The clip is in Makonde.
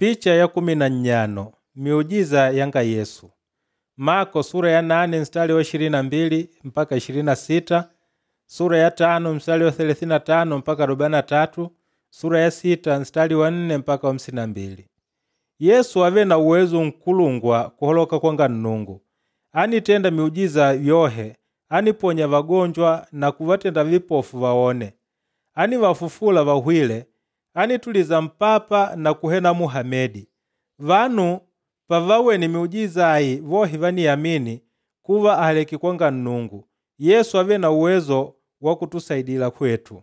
Picha ya 15 miujiza yanga Yesu. Mako sura ya 8 mstari wa 22 mpaka 26, sura ya 5 mstari wa 35 mpaka 43, sura ya 6 mstari wa 4 mpaka 52. Yesu ave na uwezo nkulungwa kuholoka kwanga Nnungu. Anitenda miujiza yohe, aniponya vagonjwa na kuvatenda vipofu vaone. Anivafufula vahwile, anituliza mpapa na kuhena Muhamedi. Vanu pavawene miujiza ayi vohe vaniyamini kuva ahaleke kwanga Nnungu. Yesu ave na uwezo wa kutusaidila kwetu.